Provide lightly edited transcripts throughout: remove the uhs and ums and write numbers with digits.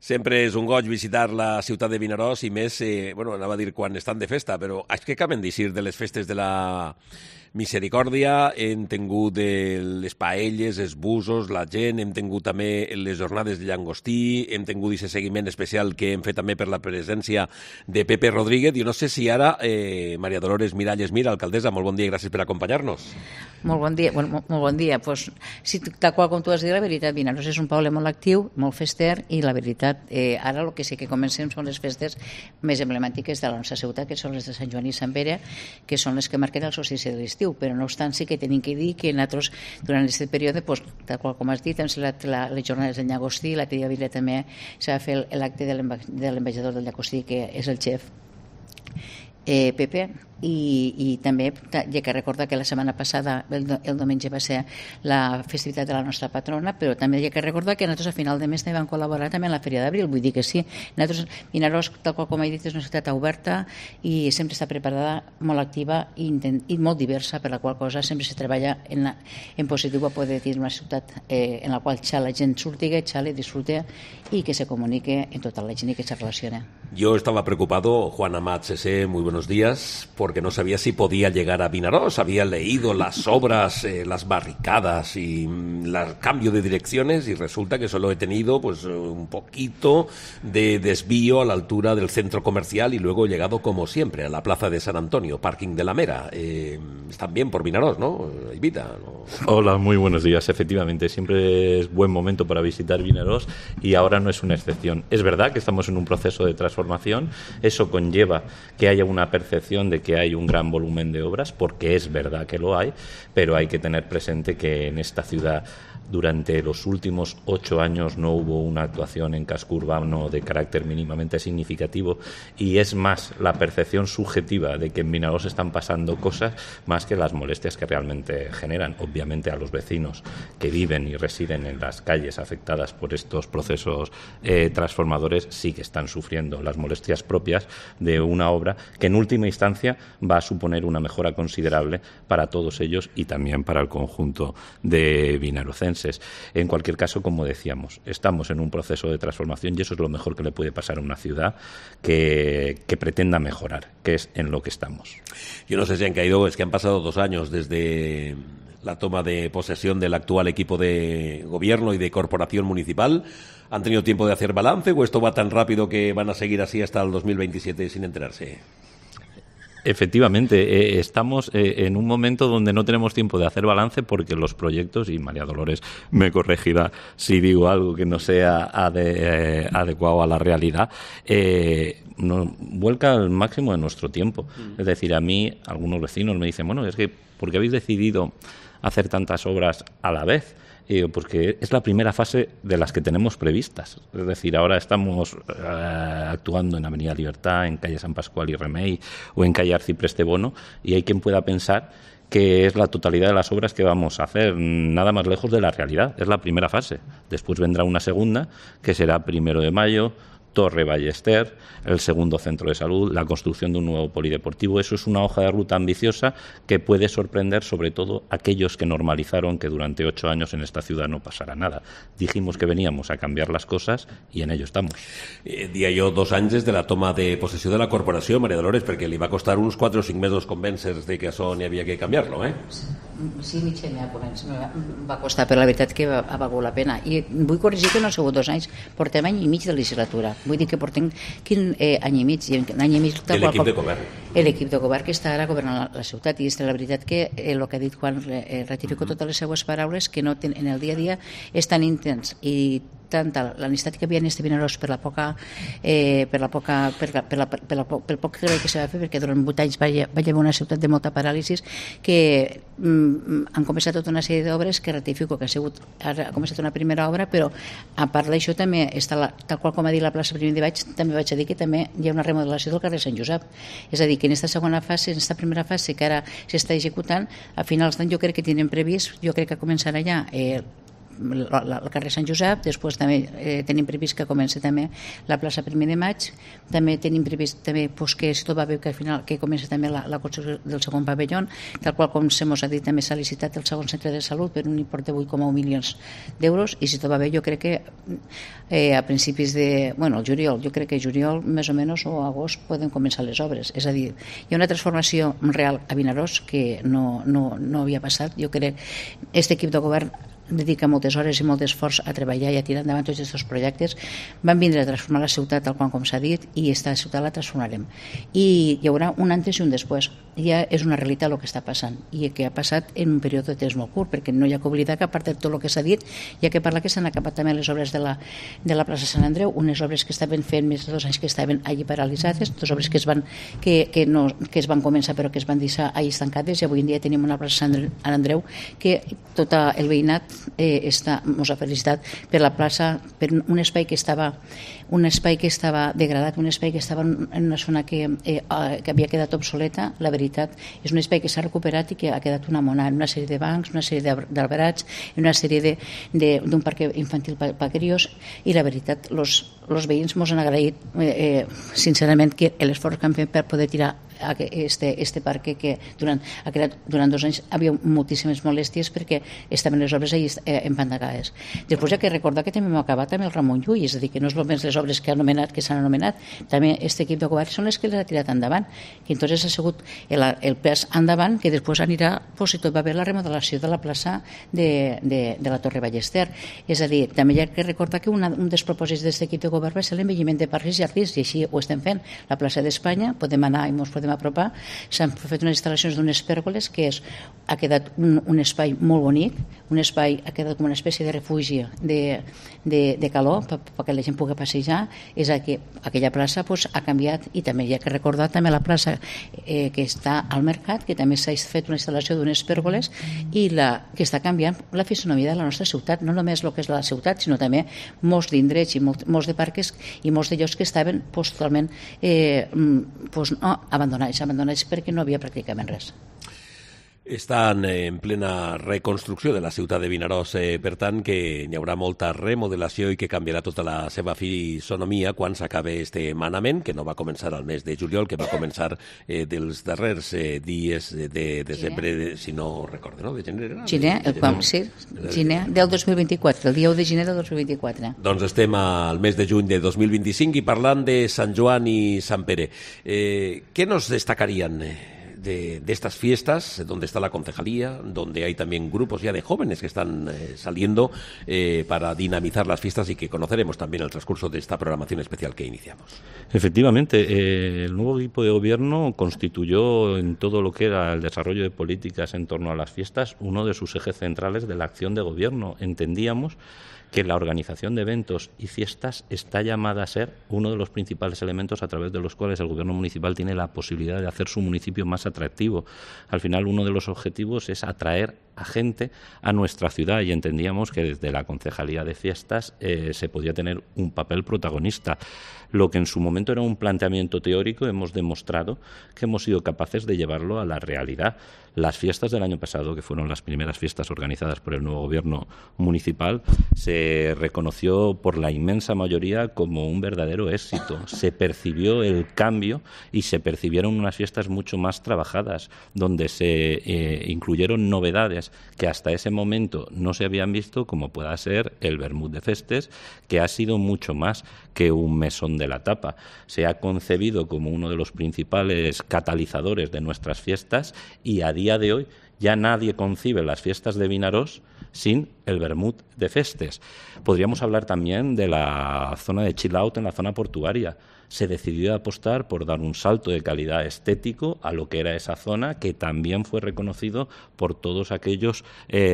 Sempre és un goig visitar la ciutat de Vinaròs i més, anava a dir quan estan de festa, però és que acaben d'eixir de les festes de la Misericòrdia, hem tingut les paelles, els busos, la gent, hem tingut també les jornades de llangostí, hem tingut aquest seguiment especial que hem fet també per la presència de Pepe Rodríguez. Jo no sé si ara, Maria Dolores Miralles Mir, alcaldessa, molt bon dia i gràcies per acompanyar-nos. Molt bon dia. Molt bon dia. Pues, sí, tal qual com tu has dit, la veritat, Vinaròs és un poble molt actiu, molt fester, i la veritat, ara el que sí que comencem són les festes més emblemàtiques de la nostra ciutat, que són les de Sant Joan i Sant Pere, que són les que marquen el solstici de l'estiu, però no obstant sí que tenim que dir que nosaltres durant aquest període, pues, tal qual com has dit, hem celebrat les jornades del llagostí, l'altre dia també s'ha de fer l'acte de l'ambaixador del llagostí, que és el xef Pepe, i també hi ha que recordar que la setmana passada, el diumenge, va ser la festivitat de la nostra patrona, però també hi ha que recordar que nosaltres a final de mes també vam col·laborar també en la Fèria d'Abril, vull dir que sí, nosaltres, Vinaròs, tal qual com he dit, és una ciutat oberta i sempre està preparada, molt activa i molt diversa, per la qual cosa sempre se treballa en positiu a poder dir una ciutat en la qual la gent surti, xale, disfrute i que se comunique en tota la gent i que se relacione. Yo estaba preocupado, Juan Amat Cesé, muy buenos días, porque no sabía si podía llegar a Vinaròs. Había leído las obras, las barricadas y el cambio de direcciones, y resulta que solo he tenido pues un poquito de desvío a la altura del centro comercial y luego he llegado, como siempre, a la plaza de San Antonio, parking de la Mera. Están bien por Vinaròs, ¿no? Evita, ¿no? Hola, muy buenos días. Efectivamente, siempre es buen momento para visitar Vinaròs y ahora no es una excepción. Es verdad que estamos en un proceso de transformación. Eso conlleva que haya una percepción de que hay un gran volumen de obras, porque es verdad que lo hay, pero hay que tener presente que en esta ciudad durante los últimos 8 años no hubo una actuación en casco urbano de carácter mínimamente significativo, y es más la percepción subjetiva de que en Vinaròs están pasando cosas más que las molestias que realmente generan. Obviamente a los vecinos que viven y residen en las calles afectadas por estos procesos transformadores sí que están sufriendo las molestias propias de una obra que en última instancia va a suponer una mejora considerable para todos ellos y también para el conjunto de vinarocenses. En cualquier caso, como decíamos, estamos en un proceso de transformación y eso es lo mejor que le puede pasar a una ciudad que pretenda mejorar, que es en lo que estamos. Yo no sé si han caído, es que han pasado 2 años desde la toma de posesión del actual equipo de gobierno y de corporación municipal. ¿Han tenido tiempo de hacer balance o esto va tan rápido que van a seguir así hasta el 2027 sin enterarse? Efectivamente, estamos en un momento donde no tenemos tiempo de hacer balance porque los proyectos, y María Dolores me corregirá si digo algo que no sea adecuado a la realidad, nos vuelca al máximo de nuestro tiempo. Es decir, a mí algunos vecinos me dicen, bueno, es que ¿por qué habéis decidido hacer tantas obras a la vez? Porque es la primera fase de las que tenemos previstas. Es decir, ahora estamos actuando en Avenida Libertad, en calle San Pascual y Remey o en calle Arcipreste Bono, y hay quien pueda pensar que es la totalidad de las obras que vamos a hacer, nada más lejos de la realidad. Es la primera fase. Después vendrá una segunda, que será 1 de mayo, Torre Ballester, el segundo centro de salud, la construcción de un nuevo polideportivo. Eso es una hoja de ruta ambiciosa que puede sorprender sobre todo a aquellos que normalizaron que durante 8 años en esta ciudad no pasara nada. Dijimos que veníamos a cambiar las cosas i en ello estamos. Dia jo 2 anys des de la toma de possessió de la corporació, Maria Dolores, perquè li va costar uns 4 o 5 mesos convèncer de que això n'hi havia que canviar-lo, eh? Sí, mig any va costar, però la veritat que ha valgut la pena. I vull corregir que no ha sigut 2 anys, portem any i mig de legislatura. Vull dir que portem any i mig. L'equip de govern. L'equip de govern que està ara governant la ciutat, i és la veritat que el que ha dit Juan, ratifico totes les seues paraules, que no en el dia a dia és tan intens i tanta la necessitat que havia en este Vinaròs pel poc treball que s'ha de fer, perquè durant 8 anys va haver una ciutat de molta paràlisis, que han començat tota una sèrie d'obres que ratifico que ha començat una primera obra, però a part d'això també està tal qual com ha dit la plaça Primer de Maig, també vaig a dir que també hi ha una remodelació del carrer Sant Josep. És a dir, que en aquesta segona fase, en aquesta primera fase que ara s'està executant, a finals d'any jo crec que tenen previst, jo crec que començarà ja el carrer Sant Josep, després també tenim previst que comenci també la plaça 1 de Maig, també tenim previst també, pues, que si tot va bé que al final que comenci també la construcció del segon pavelló, tal qual com se mos ha dit també s'ha licitat el segon centre de salut per un import de 8,1 milions d'euros, i si tot va bé jo crec que a principis de, bueno, el juliol, jo crec que juliol més o menys o agost poden començar les obres. És a dir, hi ha una transformació real a Vinaròs que no havia passat. Jo crec que aquest equip de govern dedica moltes hores i molt esforç a treballar i a tirar endavant tots aquests projectes. Van vindre a transformar la ciutat tal com s'ha dit, i esta ciutat la transformarem. I hi haurà un antes i un després. Ja és una realitat el que està passant, i que ha passat en un període de temps molt curt, perquè no hi ha que oblidar que a part de tot el que s'ha dit, hi ha que parlar que s'han acabat també les obres de la plaça Sant Andreu, unes obres que estaven fent més de 2 anys que estaven allí paralitzades, 2 obres que es van començar però que es van deixar allí estancades, i avui en dia tenim una plaça Sant Andreu que tot el veïnat mos ha felicitat per la plaça, per un espai que estava degradat, un espai que estava en una zona que havia quedat obsoleta. La veritat és un espai que s'ha recuperat i que ha quedat una mona, en una sèrie de bancs, una sèrie d'alberats, en una sèrie d'un parc infantil per crios, i la veritat els veïns mos han agraït sincerament que l'esforç que han fet per poder tirar este parc que durant 2 anys havia moltíssimes molèsties perquè estaven les obres allà empantagades. Després hi ha que recordar que també hem acabat amb el Ramon Llull, és a dir, que no és només les obres que s'han anomenat, també aquest equip de govern són les que les ha tirat endavant, que entonces ha sigut el pas endavant que després anirà, si tot va bé, la remodelació de la plaça de la Torre Ballester. És a dir, també hi ha que recordar que un dels propòsits d'aquest equip de govern va ser l'envelliment de parcs i jardins, i així ho estem fent. La plaça d'Espanya, podem anar i ens podem apropar, s'han fet unes instal·lacions d'unes pèrgoles que ha quedat un espai molt bonic, un espai ha quedat com una espècie de refugi de calor perquè la gent pugui passejar. És que aquella plaça ha canviat, i també hi ha que recordar també la plaça que està al mercat, que també s'ha fet una instal·lació d'unes pèrgoles i que està canviant la fisonomia de la nostra ciutat, no només el que és la ciutat, sinó també molts d'indrets i molts de parcs i molts de llocs que estaven totalment abandonats perquè no havia pràcticament res. Estan en plena reconstrucció de la ciutat de Vinaròs, per tant que hi haurà molta remodelació i que canviarà tota la seva fisonomia quan s'acabe este manament, que no va començar al mes de juliol, que va començar dels darrers dies de desembre, si no recordo, no? De gener? Gener del 2024, el dia 1 de gener del 2024. Doncs estem al mes de juny de 2025 i parlant de Sant Joan i Sant Pere. ¿Qué nos destacarían de estas fiestas, donde está la concejalía, donde hay también grupos ya de jóvenes que están saliendo para dinamizar las fiestas y que conoceremos también el transcurso de esta programación especial que iniciamos? Efectivamente, el nuevo equipo de gobierno constituyó en todo lo que era el desarrollo de políticas en torno a las fiestas uno de sus ejes centrales de la acción de gobierno. Entendíamos que la organización de eventos y fiestas está llamada a ser uno de los principales elementos a través de los cuales el gobierno municipal tiene la posibilidad de hacer su municipio más atractivo. Al final, uno de los objetivos es atraer a gente a nuestra ciudad, y entendíamos que desde la Concejalía de Fiestas se podía tener un papel protagonista. Lo que en su momento era un planteamiento teórico, hemos demostrado que hemos sido capaces de llevarlo a la realidad. Las fiestas del año pasado, que fueron las primeras fiestas organizadas por el nuevo gobierno municipal, se reconoció por la inmensa mayoría como un verdadero éxito. Se percibió el cambio y se percibieron unas fiestas mucho más trabajadas, donde se incluyeron novedades que hasta ese momento no se habían visto, como pueda ser el Vermut de Festes, que ha sido mucho más que un mesón de la tapa. Se ha concebido como uno de los principales catalizadores de nuestras fiestas, y a día de hoy ya nadie concibe las fiestas de Vinaròs sin el Vermut de Festes. Podríamos hablar también de la zona de chill out en la zona portuaria. Se decidió apostar por dar un salto de calidad estético a lo que era esa zona, que también fue reconocido por todos aquellos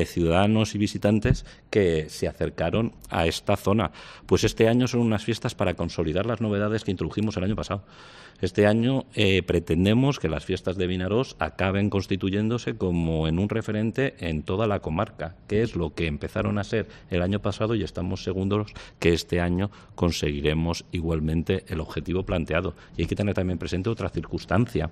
ciudadanos y visitantes que se acercaron a esta zona. Pues este año son unas fiestas para consolidar las novedades que introdujimos el año pasado. Este año pretendemos que las fiestas de Vinaròs acaben constituyéndose como en un referente en toda la comarca, que es lo que empezaron a ser el año pasado, y estamos seguros que este año conseguiremos igualmente el objetivo planteado. Y hay que tener también presente otra circunstancia.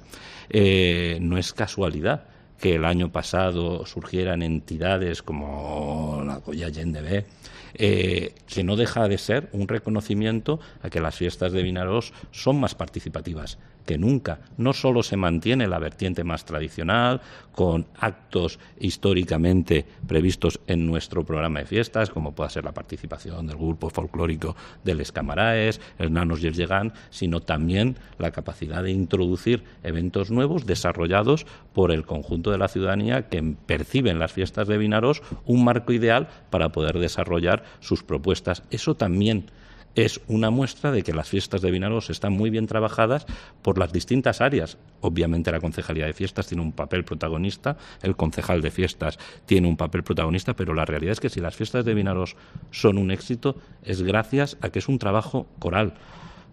No es casualidad que el año pasado surgieran entidades como la Colla Gendebé, que no deja de ser un reconocimiento a que las fiestas de Vinaròs son más participativas que nunca. No solo se mantiene la vertiente más tradicional, con actos históricamente previstos en nuestro programa de fiestas, como pueda ser la participación del grupo folclórico de Les Camaraes, el Nanos y el Gegant, sino también la capacidad de introducir eventos nuevos desarrollados por el conjunto de la ciudadanía que perciben las fiestas de Vinaròs un marco ideal para poder desarrollar sus propuestas. Eso también es una muestra de que las fiestas de Vinaròs están muy bien trabajadas por las distintas áreas. Obviamente la Concejalía de Fiestas tiene un papel protagonista, el concejal de Fiestas tiene un papel protagonista, pero la realidad es que si las fiestas de Vinaròs son un éxito es gracias a que es un trabajo coral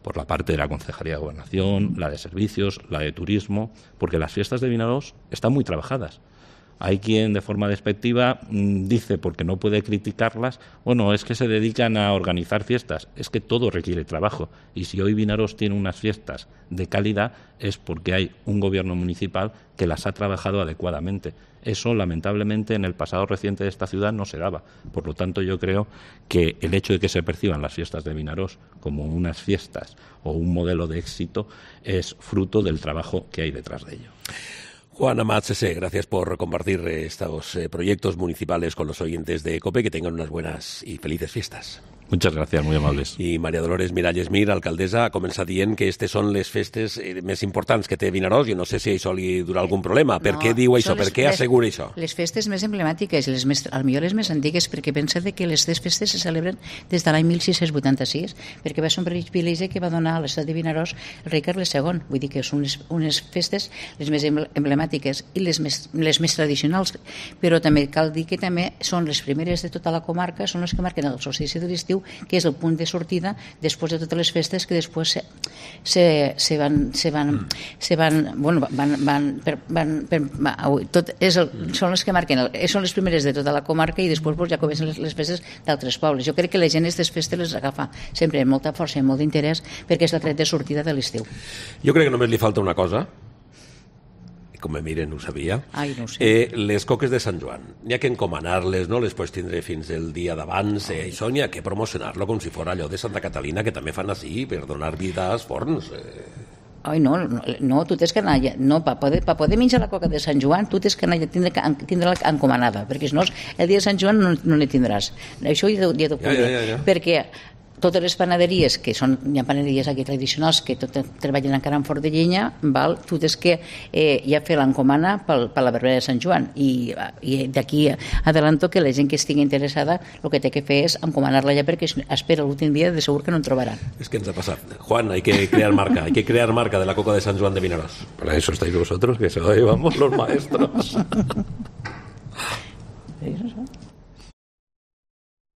por la parte de la Concejalía de Gobernación, la de Servicios, la de Turismo, porque las fiestas de Vinaròs están muy trabajadas. Hay quien de forma despectiva dice, porque no puede criticarlas, bueno, es que se dedican a organizar fiestas. Es que todo requiere trabajo. Y si hoy Vinaròs tiene unas fiestas de calidad es porque hay un gobierno municipal que las ha trabajado adecuadamente. Eso, lamentablemente, en el pasado reciente de esta ciudad no se daba. Por lo tanto, yo creo que el hecho de que se perciban las fiestas de Vinaròs como unas fiestas o un modelo de éxito es fruto del trabajo que hay detrás de ello. Juan Amat Sesé, gracias por compartir estos proyectos municipales con los oyentes de COPE. Que tengan unas buenas y felices fiestas. Muchas gracias, muy amables. I Maria Dolores Miralles Mir, alcaldessa, ha començat dient que aquestes són les festes més importants que té Vinaròs. Jo no sé si això li durà algun problema. Per què diu això? Per què assegura això? Les festes més emblemàtiques, potser les més antigues, perquè pensa que les festes se celebren des de l'any 1686, perquè va ser un privilegi que va donar a l'estat de Vinaròs el rei Carles II. Vull dir que són unes festes les més emblemàtiques i les més tradicionals, però també cal dir que també són les primeres de tota la comarca, són les que marquen el solstici de l'estiu, que és el punt de sortida després de totes les festes que després són les que marquen, són les primeres de tota la comarca i després ja comencen les festes d'altres pobles. Jo crec que la gent aquestes festes les agafa sempre amb molta força i molt d'interès perquè és la tret de sortida de l'estiu. Jo crec que només li falta una cosa. Com me miren, ho sabia. Ai, no ho sé. Les coques de Sant Joan. N'hi ha que encomanar-les, no les pots tindre fins el dia d'abans. Això n'hi ha que promocionar-lo com si fos allò de Santa Catalina, que també fan així, per donar vida als forns. Ai, no, tu tens que anar allà. No, per poder menjar la coca de Sant Joan, tu tens que anar allà, tindre-la encomanada, perquè si no, el dia de Sant Joan no la tindràs. Això ja t'ho puc dir. Perquè totes les panaderies, que hi ha panaderies aquí tradicionals que treballen encara en forn de llenya, tu tens que ja fer l'encomana per la verbena de Sant Joan, i d'aquí adelanto que la gent que estigui interessada el que té que fer és encomanar-la ja, perquè espera l'últim dia de segur que no en trobaran. És que ens ha passat. Juan, hay que crear marca de la coca de Sant Joan de Vinaròs. Para eso estáis vosotros, que se lo llevamos los maestros.